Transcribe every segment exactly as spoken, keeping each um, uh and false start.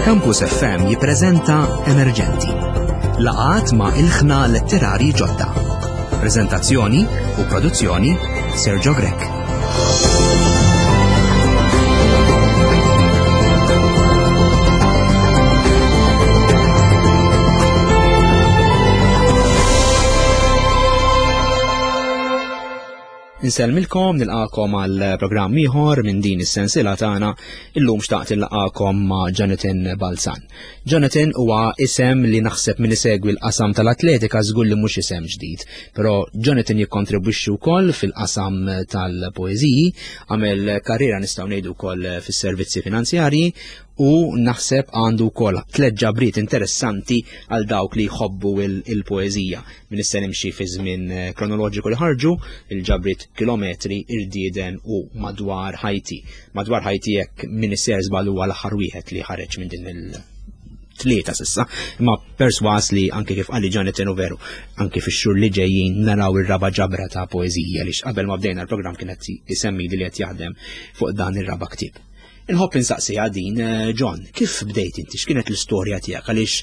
Campus F M jippreżenta Emerġenti. Laqgħat ma' ilħna letterari ġodda. Prezentazzjoni u produzzjoni Sergio Grech. Insellmilkom, nilqakom għal programm ieħor minn din is-sensiela tagħna. Illum xtaqt nilqakom ma' Jonathan Balzan. Jonathan huwa isem li naħseb min isegwi l-qasam tal-atletika żgur li mhux isem ġdid, però Jonathan jikkontribwixxi wkoll fil-qasam tal-poeżiji, għamel karriera nistgħu ngħidu wkoll fis-servizzi finanzjarji u naħseb għandu wkoll tliet ġabriet interessanti għal dawk li jħobbu il-poeżija. Min issa nimxi fi żmien eh, kronoloġiku li ħarġu il-ġabriet Kilometri, Irdieden u Madwar Ħajti. Madwar Ħajti, jekk min isser żball, huwa l-aħħar wieħed li ħareġ minn din il tlieta s'issa, imma perswas li anke kif qalli Jonathan u veru, anke fix-xhur li ġejjin naraw ir-raba' ġabra ta' poeżija li qabel ma bdejna l-programm kienet isemmi li qed jaħdem fuq dan ir-raba' ktieb. Inħobb insaqsiha din, eh, John, kif bdejt inti, x'kienet l-istorja tiegħek, għaliex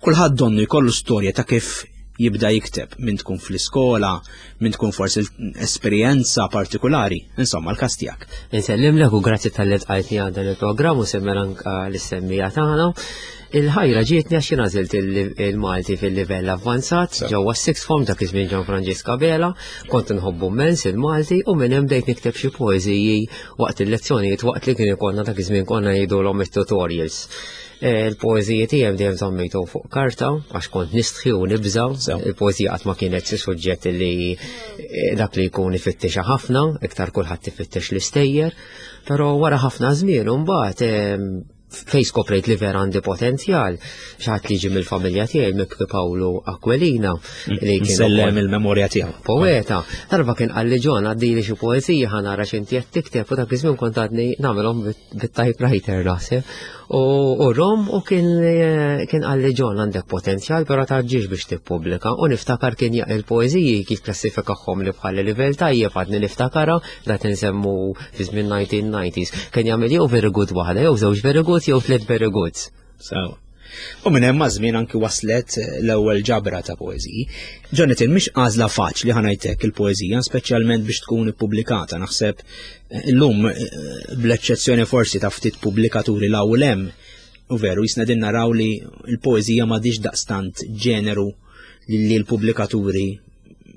kulħadd donnu jkollu storja ta' kif jibda jikteb, minn tkun fl-iskola, minn tkun forsi esperjenza partikolari, insomma l-kas tiegħek. Insellimlek u grazzi talli lqajtni għal dan il-programm u semmer anka l-semmija tagħna. Il-ħajra ġietni għax jien għażilt il-Malti fil-livell avvanzat ġewwa sixth form, dak iż-żmien Ġan Franġisk Abela, kont nħobbu immens il-Malti u minn hemm bdejt nikteb xi poeżiji waqt il-lezzjonijiet, waqt li kien ikollna, dak iż-żmien konna ngħidulhom it-tutorials. E, il-poeżiji tiegħi dejjem żammejthom fuq karta għax kont nistħi u nibża. Il-poeżija qatt ma kienet xi suġġett li e, dak li jkun ifittexa ħafna, iktar kulħadd ifittex l-istejjer, però wara ħafna żmien mbagħad fej skoprejt li vera għandi potenzjal, xi ħadd li ġi mill-familja tiegħi, Mibki Pawlu Aquilina, li kien Sellem il-memorja tiegħu. Poeta. Darba kien qalli: "John, għaddili xi poezija ħa nara x'inti qed tikteb", u dak iż-żmien kont għadni nagħmelhom bit-typewriter naħseb. U u rom u kien kien qalli: "John, għandek potenzjal, però tgħaġġilx biex tippubblika." U niftakar kien jaq il-poeżiji kif klassifikahom li bħal livell tajjeb, għadni niftakara, da tinsemmu fi żmien nineteen nineties. Kien jagħmel jew very good waħda, jew żewġ very good, jew tliet very good. Sawa. U minn hemm żmien anki waslet l-ewwel ġabra ta' poeżiji. Jonathan, mhix għażla faċli, ħa ngħidlek, il-poeżija, speċjalment biex tkun ippubblikata. Naħseb eh, illum, eh, bl-eċċezzjoni forsi ta' ftit pubblikaturi l hemm, u veru jisna din naraw li l-poeżija m'għadix daqstant ġeneru li l-pubblikaturi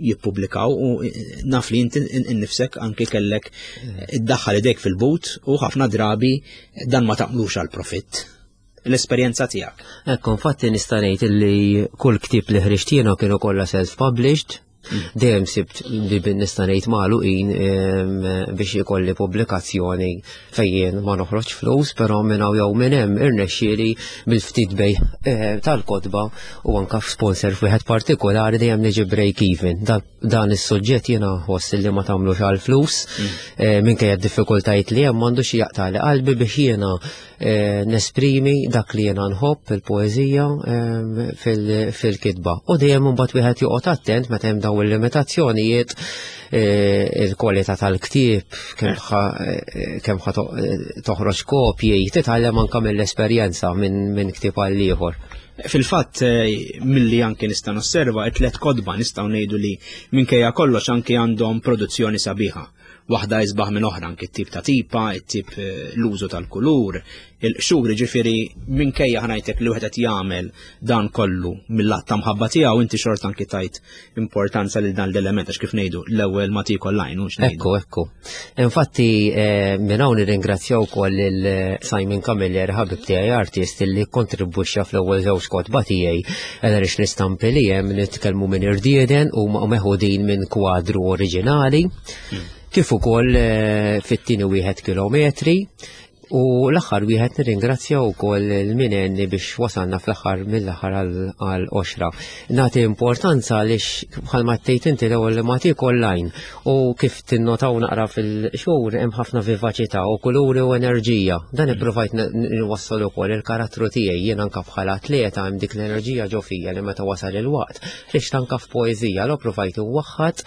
jippubblikaw u eh, naf li inti innifsek anki kellek iddaħħal idek fil-but u ħafna drabi dan ma taqlux għal profitt. L-esperjenza tiegħek. Ekku, infatti nista' ngħid li kull ktieb li ħriġt jiena kienu kollha self-published. Dejjem sibt li bin nista' ngħid magħluqin biex ikolli pubblikazzjoni fejn ma noħroġ flus, però minn hawn jew minn hemm irnexxieli bil-ftit bejgħ eh, tal-kotba u anka f'sponsor f'wieħed partikolari dejjem niġi break even. Dan is-suġġett jiena ħoss li ma tagħmlux għal flus, eh, minkejja d-diffikultajiet li hemm m'għandux jaqtali qalbi biex jiena eh, nesprimi dak li jiena nħobb, il-poeżija, fil-kitba. U dejjem imbagħad wieħed joqgħod attent meta hemm dawn il-limitazzjonijiet, eh, il-kwalità tal-ktieb, kemm ħa toħroġ kopji, titgħallem anke mill-esperjenza minn ktieb għal ieħor. Fil-fatt, eh, milli anke nista' nosserva, it-tlet kotba nistgħu ngħidu li minkejja kollox anke għandhom produzzjoni sabiħa. Waħda isbaħ minn oħra, anke t-tip ta' tipa, it-tip, eh, l-użu tal-kulur, il-qxur, ġifieri minkejja, ħa ngħidlek, li wieħed qed jagħmel dan kollu mill-att ta' mħabba tiegħu, inti xorta anke tajt importanza lil dan l-element għax, kif ngħidu, l-ewwel ma tiekol l-għajn. Ekku, ekku. Infatti eh, minn hawn nirringrazzjaw ukoll lil Simon Camilleri, ħabib tiegħi artist li kontribwixxa fl-ewwel żewġ kotba tiegħi, għaliex l-istampi li hemm, nitkellmu minn Irdieden, u meħudin minn kwadru oriġinali. Hmm. Kif ukoll eh, fit-tieni wieħed, Kilometri, u l-aħħar wieħed nirringrazzja wkoll il-minenni biex wasalna fl-aħħar mill-aħħar għal qoxra. Nagħti importanza għaliex, bħalma tgħid inti, l-ewwel li ma tiekol l-għajn u kif tinnotaw naqra fil-xhur hemm ħafna vivaċità u kuluri u enerġija. Dan ippruvajt nwassal ukoll il-karattru tiegħi jien anke bħala atleta, hemm dik l-enerġija ġo fija li meta wasal il-waqt ħriġt anke f'poeżija l provajt waħħad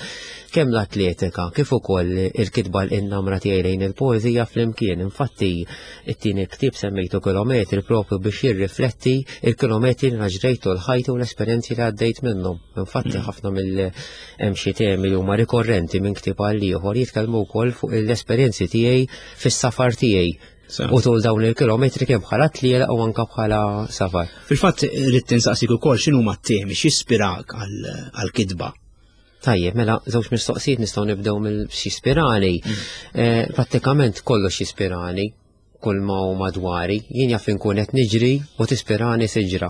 kemm l-atletika kif ukoll il-kitba, l-innamra tiegħi lejn il-poeżija flimkien. Infatti It-tieni ktieb semmejtu Kilometri propju biex jirrifletti il-kilometri li ġrejtu l-ħajti u l-esperjenzi li għaddejt minnhom. Infatti mm. ħafna mill hemm xi temi li huma rikorrenti minn ktieb għal ieħor jitkellmu wkoll fuq l-esperjenzi tiegħi fis-safar tiegħi. U tul dawn il-kilometri kemm bħala tliela u anka bħala safar. Fil-fatt rrid tinsaqsik ukoll x'inhuma t-temi x'ispirak għall-kitba. Tajjeb, mela żewġ mistoqsijiet nistgħu nibdew mill-x'ispirani. Mm. Eh, prattikament kollox jispirani, kull ma hu madwari. Jien jaf inkun qed niġri u tispirani siġra.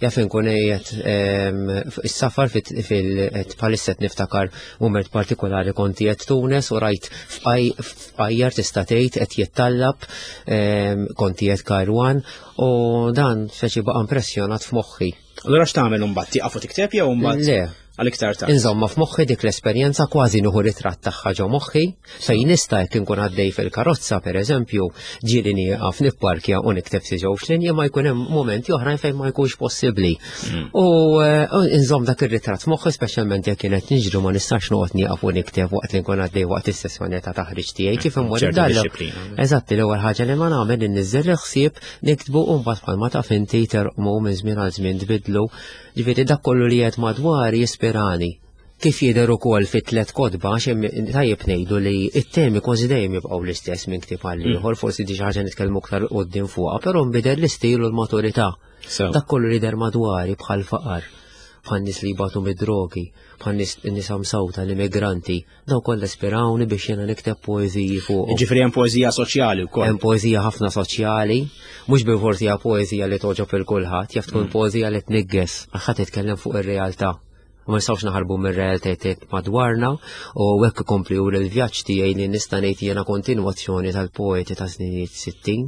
Jaf inkun qiegħed ehm, is-safar fil bħalissa niftakar mument partikolari kont qiegħed Tunes u rajt fqajjar tista' tgħid qed jittallab ehm, kont qiegħed Kairouan u dan speċi baqa' impressjonat f'moħħi. Allura x'tagħmel imbagħad tieqaf u tikteb jew mbagħad? Le. Għal iktar tard. Insomma, f'moħħi dik l-esperjenza kważi nieħu ritratt tagħha ġo moħħi, fejn nista' jekk inkun għaddej fil-karozza pereżempju, ġieli nieqaf nipparkja u nikteb xi żewġ linji ma jkun hemm momenti oħrajn fejn ma jkunx possibbli. Mm. U eh, inżomm dak ir-ritratt f'moħħi speċjalment jekk kienet niġru ma nistax noqgħod nieqaf u nikteb waqt li nkun għaddej waqt is-sessjoni ta' taħriġ tiegħi kif immur id-dar. Eżatt, l-ewwel ħaġa li ma nagħmel inniżżel il-ħsieb niktbu u mbagħad bħalma taf inti terqmu minn żmien għal żmien tbidlu. Ġifieri dak kollu li qed madwar jispirani. Kif jidher ukoll fit tliet kotba, għax tajjeb ngħidu li it-temi kważi dejjem jibqgħu l-istess minn ktieb għal mm. ieħor, forsi di xi ħaġa nitkellmu aktar quddiem fuqha, però nbidel l-istil u l-maturità. Dak kollu li der madwari bħal faqar, bħal nies li jbatu mid-drogi, bħal nisa msawta, l-immigranti, daw kollha ispirawni biex jiena nikteb poeżiji fuq. Ġifieri hemm poeżija soċjali wkoll. Hemm poeżija ħafna soċjali, mhux bil-forsi hija poeżija li togħġob il kulħadd, jaf tkun mm. poeżija li tnigges, għax ħadd titkellem fuq ir-realtà. Ma nistgħux naħarbu mir-realtajiet madwarna u hekk ikompli juri l-vjaġġ tiegħi li nista' ngħid jiena kontinwazzjoni tal-poeti ta' snin sittin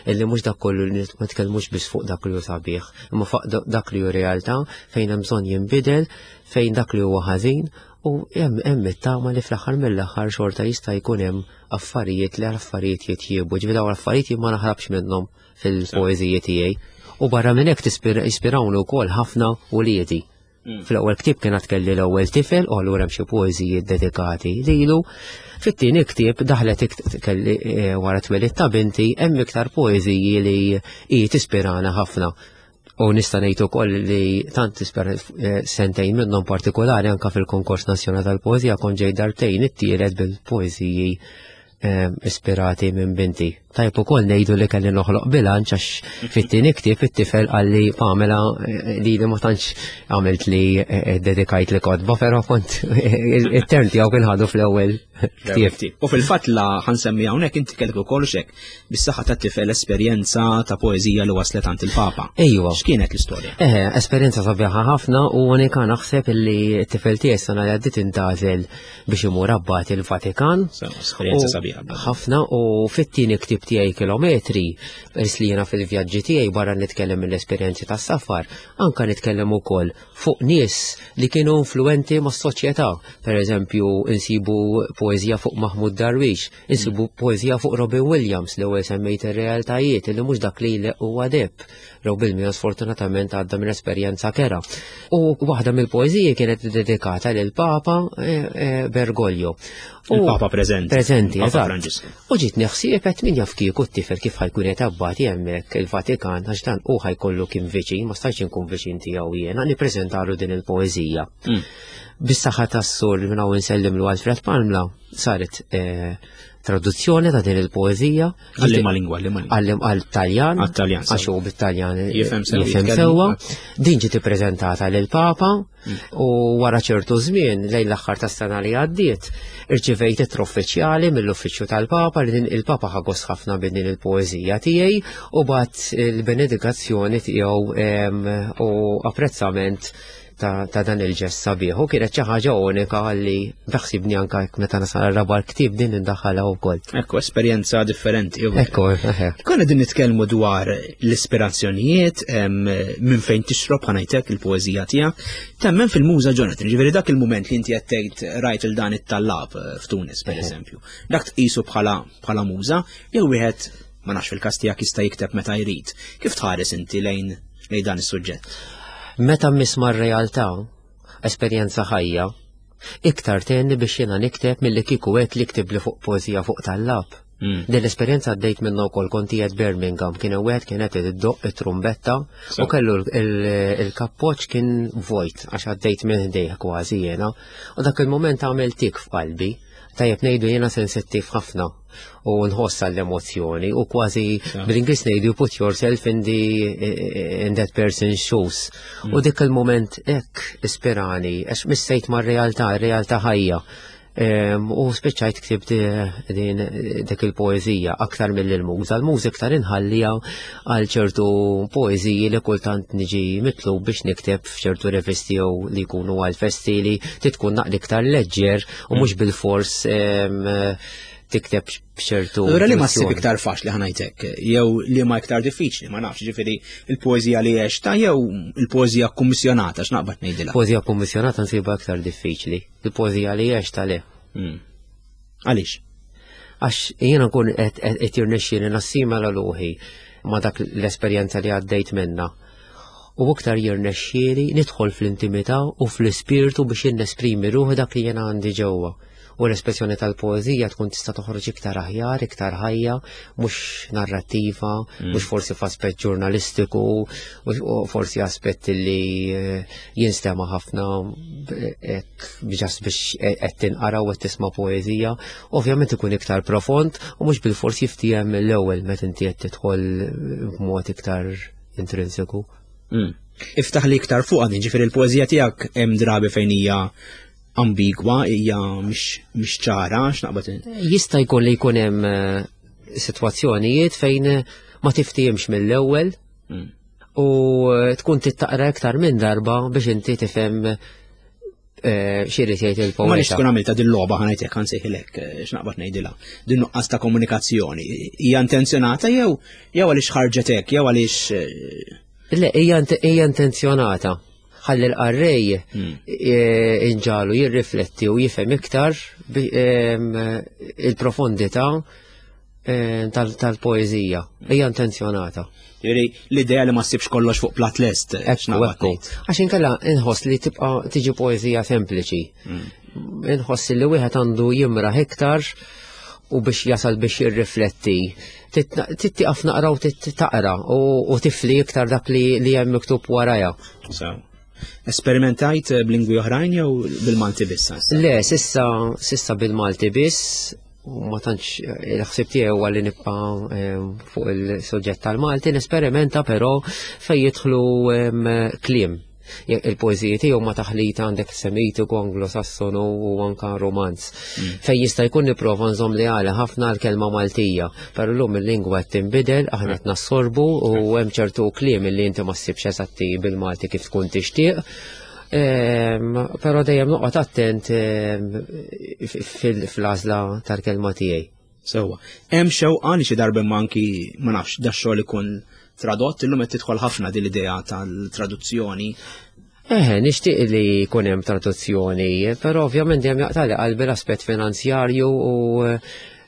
illi mhux dak kollu li ma tkellmux biss fuq dak li hu sabiħ, imma fuq dak li hu realtà fejn hemm bżonn jinbidel, fejn dak li huwa ħażin u hemm hemm it-tama li fl-aħħar mill-aħħar xorta jista' jkun hemm affarijiet li l-affarijiet jitjiebu. Ġifieri dawn l-affarijiet jien ma naħrabx minnhom fil-poeżiji tiegħi. U barra minn hekk jispirawni wkoll ħafna uliedi. Mm. Fl-ewwel ktieb kien kelli l-ewwel tifel u allura hemm xi poeżiji dedikati lilu. Fit-tieni ktieb daħlet kelli eh, wara twelid ta' binti hemm iktar poeżiji li hi tispirana ħafna. U nista' ngħid ukoll li tant tispira eh, sentejn minnhom partikolari anka fil-Konkors Nazzjonali tal-Poeżija kont ġej darbtejn it-tielet bil-poeżiji eh, ispirati minn binti. Tajb ukoll ngħidu li kelli noħloq bilanċ għax fit-tieni ktieb it-tifel qalli Pamela eh, li li ma tantx għamilt li dedikajt li kotba, però kont it-term tiegħu kien ħadu fl-ewwel ktieb. U fil-fatt la ħa nsemmi hawnhekk inti kellek ukoll xek bis-saħħa tat-tifel esperjenza ta' poeżija li waslet għand il-Papa. Ejwa. X'kienet l-istorja? Eħe, esperjenza sabiħa ħafna u unika naħseb illi t-tifel tiegħi sena li għaddiet intgħażel biex imur abbati l-Vatikan. Esperjenza sabiħa. Ħafna u fit-tieni ktieb tiegħi Kilometri, peress li jiena fil-vjaġġi tiegħi barra nitkellem mill-esperjenzi tas-safar, anka nitkellem ukoll fuq nies li kienu influenti mas-soċjetà. Per eżempju, insibu poeżija fuq Mahmoud Darwish, insibu poeżija fuq Robin Williams li ewwel semmejt ir-realtajiet li mhux dak li huwa deb. Robin Williams sfortunatament għadda minn esperjenza kerha. U waħda mill-poeżiji kienet dedikata lil Papa eh, eh, Bergoglio. Il-Papa preżenti. Preżenti, eżatt. U ġiet neħsieb qed min jaf kieku t-tifel kif ħa jkun qed abbati hemmhekk il-Vatikan għax dan u ħa jkollu kien viċin, ma stajtx inkun viċin tiegħu jiena nippreżentalu din il-poeżija. Mm. Bis-saħħa tas-sur minn hawn insellimlu Alfred Palmla saret eh, traduzzjoni ta' din il-poeżija. Għal lingwa, għal Għallim għal-Taljan. Għal-Taljan. Għax hu bit-Taljan jifhem sewwa. Din ġiet ippreżentata lil Papa mm. u wara ċertu żmien lejn l-aħħar tas-sena li għaddiet irċivejt ittra uffiċjali mill-uffiċċju tal-Papa li din il-Papa ħa gost ħafna bin din il-poeżija tiegħi u bagħat il-benedikazzjoni tiegħu u apprezzament ta', ta dan il-ġest sabiħ. U kienet xi ħaġa unika li beħsibni anka meta nasal raba ktieb din indaħħalha wkoll. Ekku, esperjenza differenti. Ekku, Konna din nitkellmu dwar l-ispirazzjonijiet minn fejn tixrob ħa ngħidlek il-poeżija tiegħek. Temmen fil-muża Jonathan, ġifieri dak il-mument li inti qed tgħid rajt il dan it-tallab eh, f'Tunis pereżempju. Dak tqisu bħala bħala muża jew wieħed ma nafx fil-każ tiegħek jista' jikteb meta jrid. Kif tħares inti lejn lejn dan is-suġġett? Meta misma r-realtà, esperjenza ħajja, iktar tenni biex jiena nikteb milli kieku għedt li ktib li fuq poeżija fuq tallab. Mm. Din l-esperjenza għaddejt minna wkoll, kont qiegħed Birmingham, kien hemm wieħed kien qed iddoqq it-trumbetta u kellu il-kappoċ kien vojt għax għaddejt minn ħdejh kważi jiena. U dak il-moment għamel tik f'qalbi. Tajjeb ngħidu jiena sensittiv ħafna u nħossa l-emozjoni u kważi bl-Ingliż ngħidu "put yourself in the in that person's shoes". Mm. U dik il-moment hekk ispirani għax missejt mar-realtà, ir-realtà ħajja. U spiċċajt ktibt din dik il-poezija aktar mill-muża. L-muża iktar inħallija għal ċertu poeziji li kultant niġi mitlub biex nikteb f'ċertu revisti jew li jkunu għal festi li titkun naqra iktar leġġer u mhux bil-fors tikteb b'ċertu. Allura li ma ssib iktar faċli, ħa ngħidlek, jew li ma iktar diffiċli, ma nafx, ġifieri il-poeżija li għexta jew il-poeżija kummissjonata, x'naqbad ngħidilha? Poeżija kummissjonata nsibha iktar diffiċli. Il-poeżija li għexta le. Hmm. Għaliex? Għax jiena nkun qed jirnexxieli nassimila ruħi ma dak l-esperjenza li għaddejt minna. U iktar jirnexxieli nidħol fl-intimità u fl-ispirtu biex nesprimi ruħi dak li jiena għandi ġewwa, u l-espressjoni tal-poezija tkun tista' toħroġ iktar aħjar, iktar ħajja, mhux narrattiva, mm. mhux forsi f'aspett ġurnalistiku, u forsi aspett li eh, jinstema' ħafna biex biex qed tinqara u qed tisma' poezija. Ovvjament ikun iktar profond u mhux bil-fors jiftiehem mill-ewwel meta inti qed tidħol b'mod iktar intrinsiku. Mm. Iftaħ li iktar fuq għadin, ġifieri il-poezija tiegħek hemm drabi fejn hija ambigwa, hija mhix ċara, x'naqbad. Jista' jkun li jkun hemm eh, sitwazzjonijiet fejn ma tiftihimx mill-ewwel mm. u eh, tkun tittaqra iktar minn darba biex inti tifhem eh, x'irid jgħid il-poeta. Ma nix tkun għamilta din logħba, ħa ngħidlek, ħa nsejħilek, x'naqbad ngħidilha. Din nuqqas ta' komunikazzjoni. Hija intenzjonata jew jew għaliex ħarġet hekk, jew għaliex Le, hija intenzjonata ħalli l-qarrej hmm. e, inġagħlu jirrifletti u jifhem iktar il-profondità tal-poezija. Hija intenzjonata. Ġifieri l-idea li ma ssibx kollox fuq plat lest. Ekku, ekku. Għax inkella inħoss li tibqa' tiġi poezija sempliċi. Hmm. Inħoss li wieħed għandu jimraħ iktar u biex jasal biex jirrifletti. Tittiqaf naqra u taqra u tifli iktar dak li hemm miktub warajha. Esperimentajt b'lingwi oħrajn jew bil-Malti biss? Le, s'issa, s'issa bil-Malti biss, u ma tantx il-ħsib tiegħi huwa li nibqa' eh, fuq il-suġġett tal-Malti, nesperimenta però fejn jidħlu kliem. Il-poeżiji tiegħu ma taħlita, għandek Semitiku, Anglo-Sassonu u anka Romanz. Mm. Fejn jista' jkun nipprova nżomm li għala ħafna l-kelma Maltija, però llum il-lingwa qed tinbidel, aħna qed nassorbu u hemm ċertu kliem li inti ma ssibx eżatti bil-Malti kif tkun tixtieq. Però dejjem noqgħod attent fil-għażla tal-kelma tiegħi. Sewwa. Hemm xewqa li xi darba anki, ma nafx, da xogħol ikun tradott? Illum qed tidħol ħafna din l-idea tal-traduzzjoni. Eh, nixtieq li jkun hemm traduzzjoni, però ovvjament dejjem jaqtali qalbi l-aspett finanzjarju u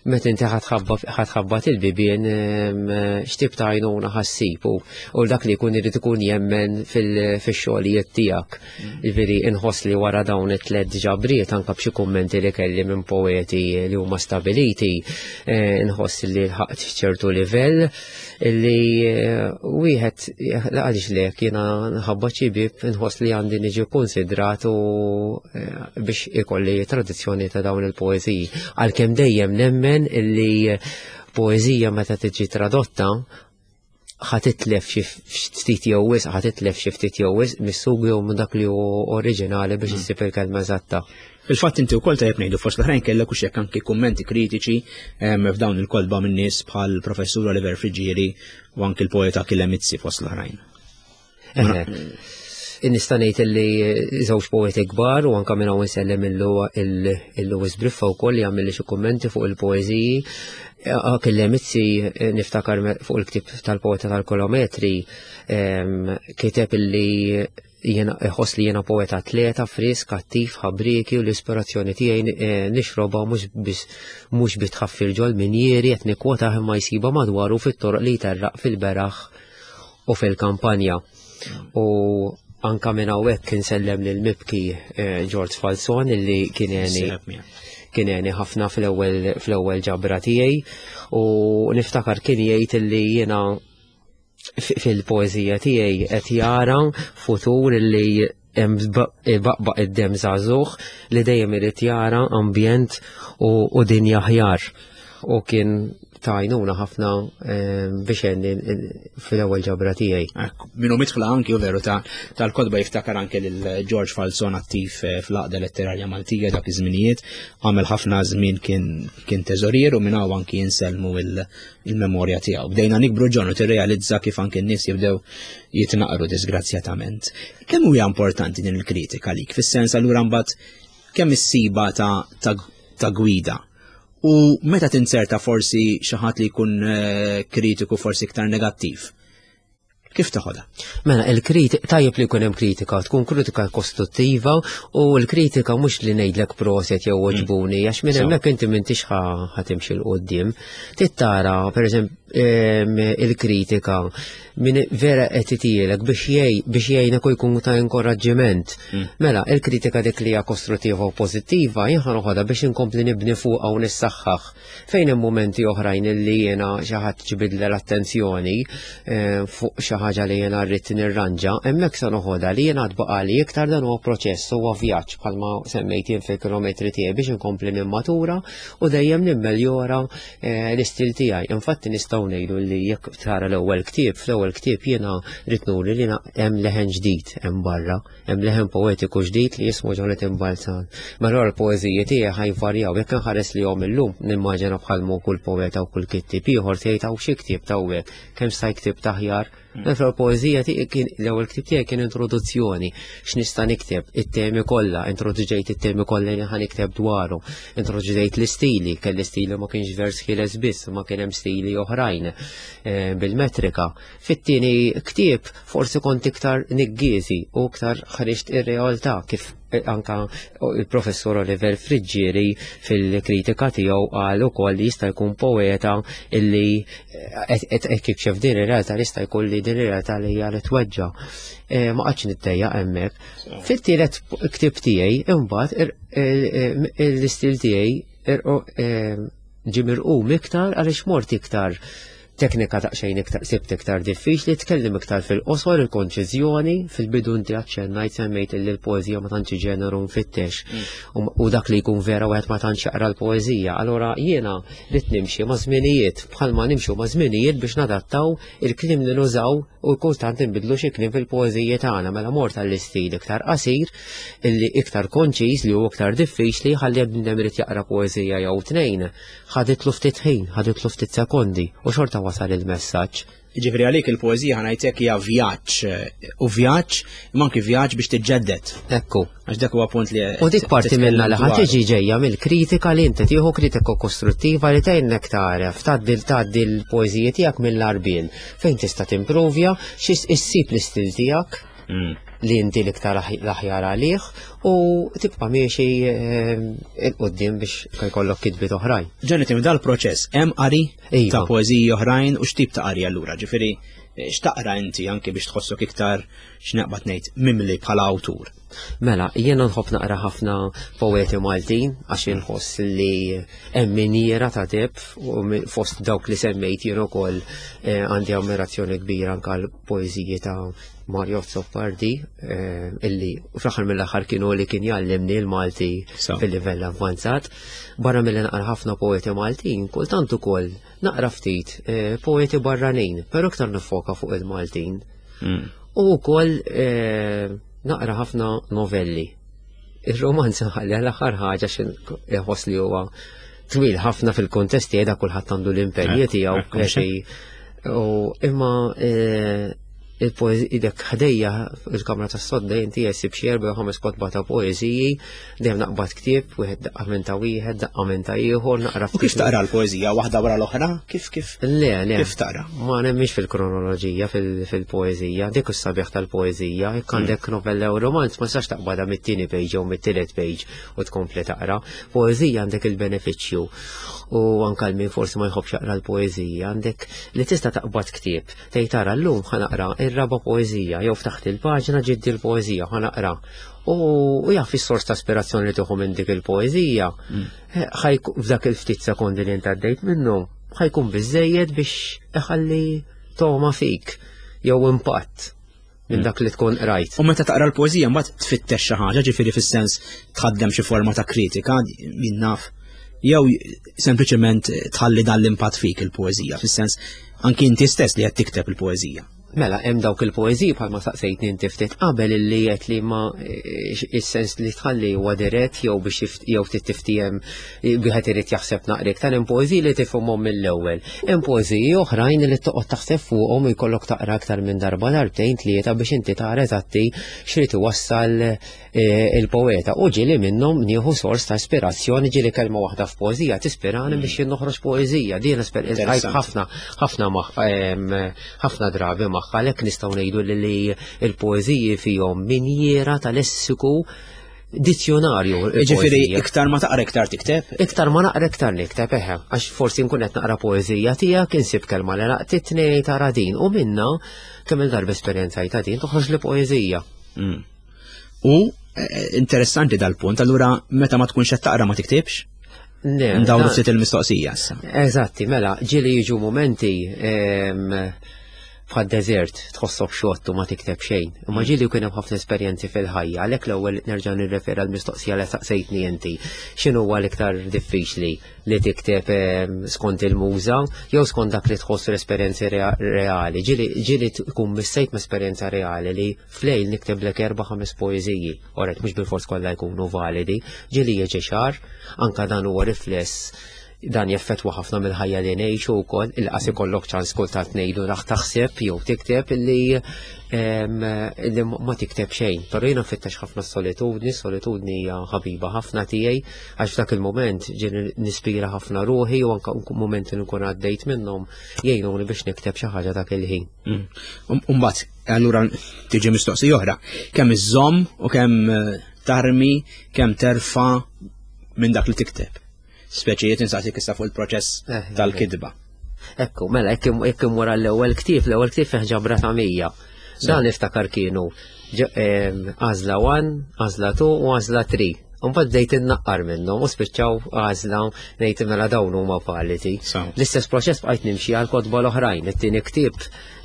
meta inti ħa tħabbat il-bibien, x'tip ta' għajnuna ħa ssib u dak li jkun irid ikun jemmen fix-xogħlijiet tiegħek. Ġifieri inħoss li wara dawn it-tliet ġabriet, anke b'xi kummenti li kelli minn poeti li huma stabiliti, eh, inħoss li lħaqt ċertu livell li eh, wieħed għaliex lek jiena nħabbat xi bib, inħoss li għandi niġi konsidrat u eh, biex ikolli traduzzjoni ta' dawn il-poeżiji. Għalkemm dejjem nemmen illi poeżija meta tiġi tradotta ħa titlef xi ftit jew wisq, ħa titlef xi ftit jew wisq mis-sugu jew minn dak li hu oriġinali biex issib il-kelma eżatta. Fil-fatt inti wkoll, tajjeb ngħidu, fost l-oħrajn kellek u xek anki kummenti kritiċi f'dawn il-kotba minn nies bħal professur Oliver Friggieri u anki l-poeta Achille Mizzi, fost l-oħrajn. Nista' ngħid li żewġ poeti kbar, u anke minn hawn insellem il-Louis Briffa wkoll li għamel xi kummenti fuq il-poeżiji. Achille Mizzi, niftakar fuq il-ktib tal-poeta tal-kilometri, kiteb illi jena iħoss li jena poeta atleta, frisk, attiv, ħabriki u l-ispirazzjoni tiegħi eh, nixroba mhux biex mhux bitħaffir ġol minjieri, qed nikkwota, imma jsiba madwaru fit-toroq li jterraq fil-beraħ u fil-kampanja. U anka minn hawnhekk insellem lil mibki eh, George Falzon illi kien Kien għeni ħafna fl-ewwel fl-ewwel ġabra tiegħi u niftakar kien jgħid li jiena fil-poeżija tiegħi qed jara futur li hemm baqbaq id-dem żagħżugħ li dejjem irid jara ambjent u dinja aħjar. U kien tajnuna ħafna biex għenni fil-ewwel ġabra tiegħi. Minnu mitħla anki u veru tal-kodba jiftakar anke lil George Falzon attiv fl-Għaqda Letterarja Maltija dak iż-żminijiet, għamel ħafna żmien kien teżorier u minn hawn anki jinselmu il-memorja tiegħu. Bdejna nikbru ġon u tirrealizza kif anke n-nies jibdew jitnaqru disgrazzjatament. Kemm huwa importanti din il-kritika lik? Fis-sens allura mbagħad kemm issiba ta' gwida? U meta tinserta forsi xi ħadd li jkun kritiku forsi iktar negattiv, kif taħodha? Mela, il-kritika, tajjeb li jkun hemm kritika, tkun kritika kostruttiva u l-kritika mhux li ngħidlek proset jew oġbuni, għax minn hemmhekk inti m'intix ħatimxi 'l quddiem. Tittara, pereżempju, il-kritika min vera qed itielek biex jgħinek u jkun ta' inkoraġġiment. Mela, il-kritika dik li hija kostruttiva u pożittiva jien ħa noħodha biex inkompli nibni fuqha u nissaħħaħ. Fejn hemm mumenti oħrajn li jiena xi ħadd ġibidle l-attenzjoni fuq xi ħaġa li jiena rrid nirranġa, hemmhekk se noħodha li jiena tbaqali iktar dan huwa proċess, huwa vjaġġ bħalma semmejt jien fil-kilometri tiegħi biex inkompli nimmatura u dejjem nimmeljora l-istil tiegħi. Infatti nistgħu ngħidu li jekk tara l-ewwel ktieb, fl-ewwel ktieb jiena rrid nuri li hemm leħen ġdid hemm barra, hemm leħen poetiku ġdid li jismu Jonathan Balzan. Mela l-poeżiji tiegħi ħajvarjaw, jekk inħares li jom illum nimmaġina bħalmu kull poeta u kull kittieb ieħor tgħid hawn xi ktieb tawwek, kemm sta jktib taħjar. Fil-poeżija tiegħi kien l-ewwel ktieb tiegħi kien introduzzjoni x'nista' nikteb it-temi kollha, introduġejt it-temi kollha li ħa nikteb dwaru, introduġejt l-istili, kelli stili ma kienx vers ħieles biss, ma kien hemm stili oħrajn bil-metrika. Fit-tieni ktieb forsi kont iktar niggiżi u iktar ħriġt ir-realtà kif anka il-professor Oliver Friggieri fil-kritika tiegħu qal ukoll li jista' jkun poeta illi qed jikxef din ir-realtà li jista' jkun li din ir-realtà li hija li tweġġa'. Ma qgħadx nittejjaq hemmhekk. Fit-tielet ktieb tiegħi imbagħad l-istil tiegħi ġie mirqum iktar għaliex mort iktar teknika daqsxejn iktar sibt iktar diffiċli, tkellem iktar fil-qosor, il-konċiżjoni, fil-bidu inti aċċennajt semmejt li l-poeżija ma tantx ġeneru nfittex u dak li jkun vera wieħed ma tantx jaqra l-poeżija. Allura jiena rrid nimxi ma' żminijiet bħalma nimxu ma' żminijiet biex nadattaw il-kliem li nużaw u kultant inbidlu xi kliem fil-poeżiji tagħna. Mela mort għall-istil iktar qasir, illi iktar konċiż li hu iktar diffiċli ħalli bniedem irid jaqra poeżija jew tnejn. Ħaditlu ftit ħin, ħaditlu ftit sekondi u xorta wasal il-messaġġ. Ġifieri għalik il-poeżija ħanajtek hija vjaġġ u vjaġġ imma anki vjaġġ biex tiġġedded. Ekku. Għax dak huwa punt li U dik parti minna li ħadd tiġi ġejja mill-kritika li inti tieħu kritika kostruttiva li tgħinnek tagħref tgħaddi tgħaddi l-poeżija tiegħek mill-għarbien fejn tista' timprovja xi issib l-istil tiegħek li inti l-iktar l-aħjar għalih u tibqa' miexi 'l quddiem biex jkollok kitbiet oħrajn. Jonathan, dal-proċess hemm qari ta' poeżiji oħrajn u x'tip ta' qari allura? Ġifieri x'taqra inti anke biex tħossok iktar x'naqbad ngħid mimli bħala awtur? Mela, jiena nħobb naqra ħafna poeti Maltin għax inħoss li hemm minjiera ta' deb u fost dawk li semmejt jien ukoll għandi ammirazzjoni kbira anke l-poeżiji ta' Mario Azzopardi illi fl-aħħar mill-aħħar kienu li kien jgħallimni l-Malti fil-livell avvanzat. Barra milli naqra ħafna poeti Maltin, kultant ukoll naqra ftit poeti barranin, però iktar nifoka fuq il-Maltin. U wkoll naqra ħafna novelli. Ir-romanz ħalli l-aħħar ħaġa x'inħoss li huwa twil ħafna fil-kontest tiegħi da kulħadd għandu l-impenji tiegħu. U imma il-poeżija dak ħdejja il-kamra tas-sodda inti jesib xi erba' jew ħames kotba ta' poeżiji, dejjem naqbad ktieb, wieħed daqqa minn ta' wieħed, daqqa minn ta' ieħor, naqra U kif taqra l-poeżija waħda wara l-oħra? Kif kif? Le, le. Kif taqra? Ma nemmix fil-kronoloġija fil-poeżija, dik is-sabiħ tal-poeżija, jekk għandek novella u romanz ma tistax taqbadha mit-tieni page jew mit-tielet page u tkompli taqra. Poeżija għandek il-benefiċċju u anke min forsi ma jħobbx jaqra l-poeżija, għandek li tista' taqbad ktieb, tgħid tara llum ħa naqra ir-raba' poeżija, jew ftaħt il-paġna ġiet il-poeżija, ħa naqra. U jaf is-sors ta' ispirazzjoni li tieħu minn dik il-poeżija, mm. f'dak il-ftit sekondi li għaddejt minnu, ħa jkun biżejjed biex iħalli togħma fik jew impatt minn mm. dak li tkun rajt. U meta taqra l-poeżija mbagħad tfittex xi ħaġa, ġifieri fis-sens tħaddem xi forma ta' kritika, min naf, jew sempliċement tħalli dan l-impatt fik il-poeżija, fis-sens anki inti stess li qed tikteb il-poeżija. Mela, hemm dawk il-poeżiji bħalma saqsejtni inti ftit qabel illi qed li ma is-sens li tħalli huwa dirett jew biex jew ftit tiftiem wieħed irid jaħseb naqra iktar, hemm poeżiji li tifhimhom mill-ewwel. Hemm poeżiji oħrajn li toqgħod taħseb fuqhom u jkollok taqra aktar minn darba, darbtejn, tlieta biex inti tara eżatti x'rid iwassal il-poeta. U ġieli minnhom nieħu sors ta' ispirazzjoni, ġieli kelma waħda f'poeżija tispirani biex jien noħroġ poeżija. Din ħafna ħafna ħafna drabi magħha, għalhekk nistgħu ngħidu li l-poeżiji fihom minjiera tal-lessiku, dizzjonarju. Ġifieri iktar ma taqra iktar tikteb? Iktar ma naqra iktar nikteb, eħe, għax forsi nkun qed naqra poeżija tiegħek, insib kelma li laqtitni, tara din, u minna kemm il-darba esperjenzajta din toħroġ li poeżija. U interessanti dal-punt, allura meta ma tkunx qed taqra ma tiktibx? Ndawru ftit il-mistoqsija issa. Eżatti, mela, ġieli jiġu momenti bħad deżert tħossok xott u ma tikteb xejn. Imma ġieli kien hemm ħafna esperjenzi fil-ħajja, għalhekk l-ewwel nerġa' nirrefera l-mistoqsija li saqsejtni inti. X'inhu huwa l-iktar diffiċli, li tikteb skont il-muża jew skont dak li tħossu l-esperjenzi reali? Ġieli tkun missejt ma' esperjenza reali li flejl nikteblek erba' ħames poeżiji. Oret mhux bil-fors kollha jkunu validi, ġieli jiġi xahar, anka dan huwa rifless, dan jeffettwa ħafna mill-ħajja li ngħixu wkoll, il-qas ikollok ċans kultant ngħidu raħ taħseb jew tikteb illi ma tikteb xejn. Però jiena nfittex ħafna solitudni, solitudni hija ħabiba ħafna tiegħi, għax f'dak il-mument ġieli nispira ħafna ruħi u anke mumenti li nkun għaddejt minnhom jgħinuni biex nikteb xi ħaġa dak il-ħin. Mbagħad allura tiġi mistoqsija oħra, kemm iżżomm u kemm tarmi, kemm terfa' minn dak li tikteb? Speċijiet insaqsik issa fuq il-proċess tal-kidba. Ekku, mela, jekk wara l-ewwel ktieb, l-ewwel ktieb fih ġabra ta' mija. Dan niftakar kienu għażla one, għażla two u għażla three. Mbagħad bdejt innaqqar minnhom u spiċċaw għażla ngħid mela dawn huma validi. L-istess proċess bqajt nimxi għal kotba l-oħrajn. It-tieni ktieb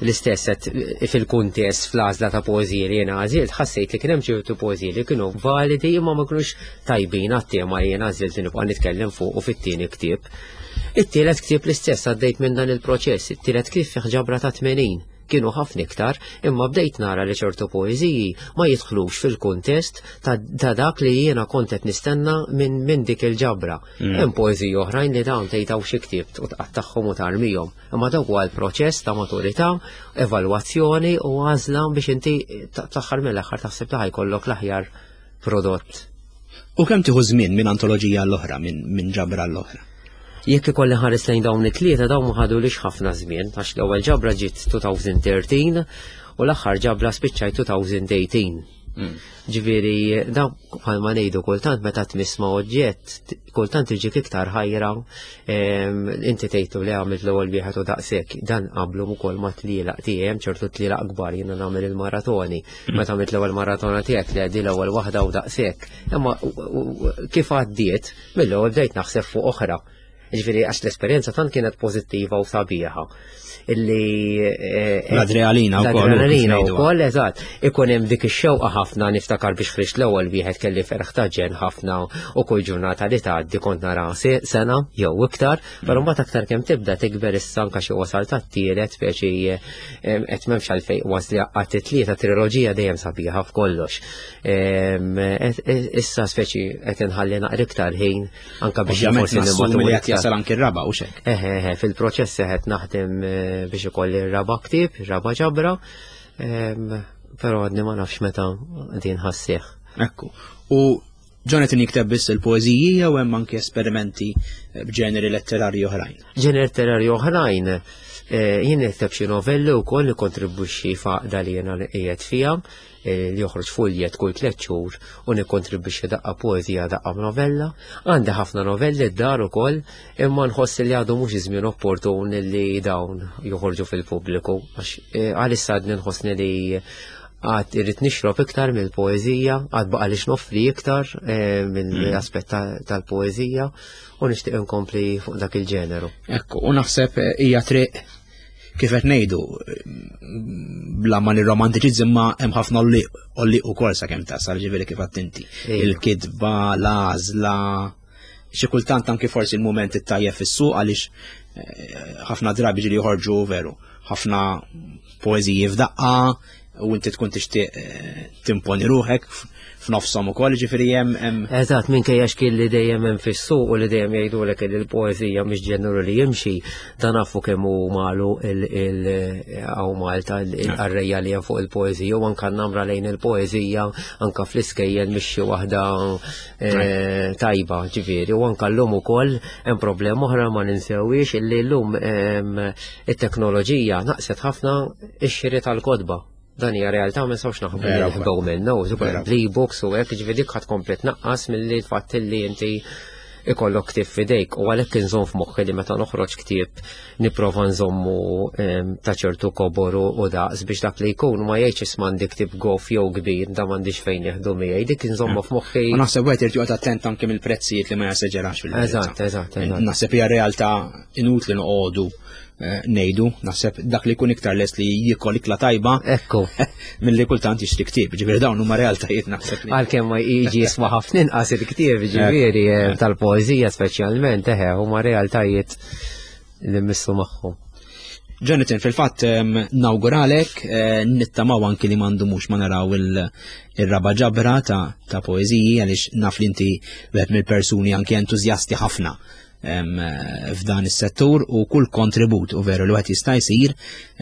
l-istess fil-kuntest fl-għażla ta' poeżiji li jiena għażilt, ħassejt li kien hemm ċertu poeżiji li kienu validi imma ma kinux tajbin għat-tema li jiena għażilt li nibqa' nitkellem fuq u fit-tieni ktieb. It-tielet ktieb l-istess għaddejt minn dan il-proċess, it-tielet ktieb fih ġabra ta' tmenin. Kienu ħafna iktar, imma bdejt nara li ċertu poeżiji ma jidħlux fil-kuntest ta' dak li jiena kont qed nistenna minn dik il-ġabra. Hemm poeżiji oħrajn li dawn tgħidaw xi ktieb u tqattagħhom u tarmihom. Imma dawk huwa l-proċess ta' maturità, evalwazzjoni u għażla biex inti fl-aħħar mill-aħħar taħseb li ħajkollok l-aħjar prodott. U kemm tieħu żmien minn antoloġija l-oħra, minn ġabra l-oħra? Jekk ikolli ħares lejn dawn it-tlieta, dawn ma ħadulix ħafna żmien, għax l-ewwel ġabra ġiet twenty thirteen u l-aħħar ġabra spiċċajt twenty eighteen. Ġifieri dawn bħalma ngħidu kultant meta tmiss ma' oġġett, kultant iġik iktar ħajra, inti tgħidu li għamilt l-ewwel wieħed u daqshekk, dan qablu ukoll ma' tlielaq tiegħi, hemm ċertu tlielaq kbar, jiena nagħmel il-maratoni. Meta għamilt l-ewwel maratona tiegħek li għaddi l-ewwel waħda u daqshekk. Imma kif għaddiet, mill-ewwel bdejt naħseb fuq oħra. Ġifieri għax l-esperjenza tant kienet pożittiva u sabiħa. Illi, L-adrenalina wkoll, L-adrenalina wkoll, eżatt. Ikun hemm dik ix-xewqa ħafna, niftakar biex ħriġt l-ewwel wieħed kelli ferħ ta' ġen ħafna u kull ġurnata li tgħaddi kont nara sena jew iktar, però mbagħad aktar kemm tibda tikber issa anke xi wasal tat-tielet, speċi qed m'hemmx għalfejn wasli għat tlieta triloġija dejjem sabiħa f'kollox. Issa speċi qed inħalli naqra iktar ħin anke biex Ovvjament forsi nassumi li nimmatura qed jasal anke r-raba' u xek. Eħe, eħe, fil-proċess qed naħdem biex ikolli r-raba' ktieb, ir-raba' ġabra, però għadni ma nafx meta din ħassieħ. Ekku. U Jonathan jikteb biss il-poeżiji jew hemm anke esperimenti b'ġeneri letterarji oħrajn? Ġeneri letterarji oħrajn, eh, jien nikteb xi novelli wkoll nikkontribwixxi f'għaqda li jiena qiegħed fiha, eh, li joħroġ fuljet kull tliet xhur u nikkontribwixxi daqqa poeżija daqqa novella. Għandi ħafna novelli d-dar ukoll, imma nħoss li għadu mhux iż-żmien opportun li dawn joħorġu fil-pubbliku għax eh, għalissa għadni nħossni li għad irrid nixrob iktar mill-poeżija, għad baqa' li noffri iktar eh, mill-aspett tal-poeżija u nixtieq inkompli fuq dak il-ġeneru. Ekku, u naħseb eh, hija triq kif qed ngħidu bla ma nirromantiċizz imma hemm ħafna olli ukoll sakemm tasal ġifieri kif għedt inti. Il-kitba, l-għażla, xi kultant anki forsi il-mument it-tajjeb fis-suq għaliex eh, ħafna drabi ġieli joħorġu veru, ħafna poeżiji f'daqqa u inti tkun tixtieq eh, timponi ruħek f'nofshom ukoll, ġifieri hemm hemm. Eżatt, minkejja xkien li dejjem hemm fis-suq u li dejjem jgħidulek li l-poeżija mhix ġeneru li jimxi, dan nafu kemm hu malu il hawn Malta il-qarrejja li hemm fuq il-poeżija u anke namra lejn il-poeżija anke fl-iskejjel mhix xi waħda eh, tajba, ġifieri, u anke llum ukoll hemm problema oħra ma ninsewix illi llum it-teknoloġija naqset ħafna ix-xiri tal-kotba. Dan hija realtà ma nistgħux naħbu naħbu minnu, l-e-books u hekk, ġifieri dik ħadd komplet naqqas milli l-fatt li inti ikollok ktieb f'idejk u għalhekk inżomm f'moħħi li meta noħroġ ktieb nipprova nżommu ta' ċertu kobor u daqs biex dak li jkun ma jgħidx isma' għandi ktieb goff jew kbir da m'għandix fejn jeħdu miegħi, dik inżommu f'moħħi. U naħseb wieħed irid joqgħod attent anke mill-prezzijiet li ma jesaġerax fil Eżatt, eżatt, eżatt. Naħseb hija realtà inutli noqogħdu eh, ngħidu, naħseb dak li jkun iktar lest li jiekol ikla tajba Ekku. milli kultant jixtri ktieb, ġifieri dawn huma realtajiet naħseb li. Għalkemm ma jiġi jiswa ħafna inqas il-ktieb, ġifieri eh, tal-poeżija speċjalment, eħe, huma realtajiet li missu magħhom. Jonathan, fil-fatt em, nawguralek, eh, nittamaw anki li m'għandux ma naraw il- il-raba ġabra ta', ta' poeżiji għaliex naf li inti wieħed mill-persuni anki entużjasti ħafna em, eh, f'dan is-settur u kull kontribut u veru li wieħed jista' jsir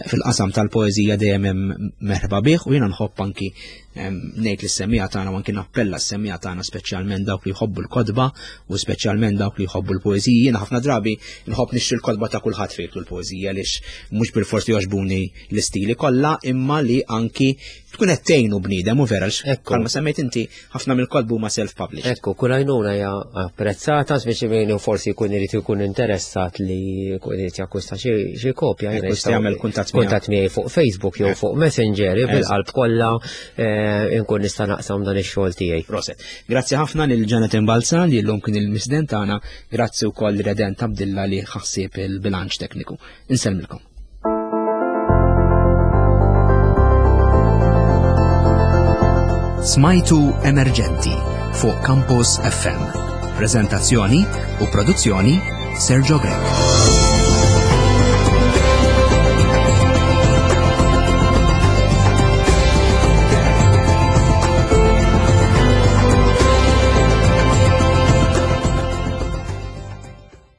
fil-qasam tal-poeżija dejjem hemm merħba bih u jiena nħobb anki em, ngħid lis-semmiegħa tagħna u anki nappella s-semmiegħa tagħna speċjalment dawk li jħobbu l-kotba u speċjalment dawk li jħobbu l-poeżiji. Jiena ħafna drabi nħobb nixtri l-kotba ta' kulħadd fejn l-poeżija għaliex mhux bilfors li jogħġbuni l-istili kollha imma li anki tkun qed tgħinu bniedem u vera għax Ekku. bħalma semmejt inti ħafna mill-kotba huma self-published. Ekku, kull għajnuna hija apprezzata, speċi min forsi jkun irid ikun interessat li jkun irid jakkwista xi xi kopja. Ekku, jiena jista' jagħmel kuntatt miegħek. kuntatt miegħi fuq Facebook jew fuq Messenger, bil-qalb kollha eh, inkun nista' naqsam dan ix-xogħol tiegħi. Prosit. Grazzi ħafna lil Jonathan Balzan li llum kien il-mistieden tagħna, grazzi wkoll Redent Abdilla li ħassib il-bilanċ tekniku. Insellmilkom. Smajtu Emerġenti fuq Campus F M. Prezentazzjoni u produzzjoni Sergio Grech.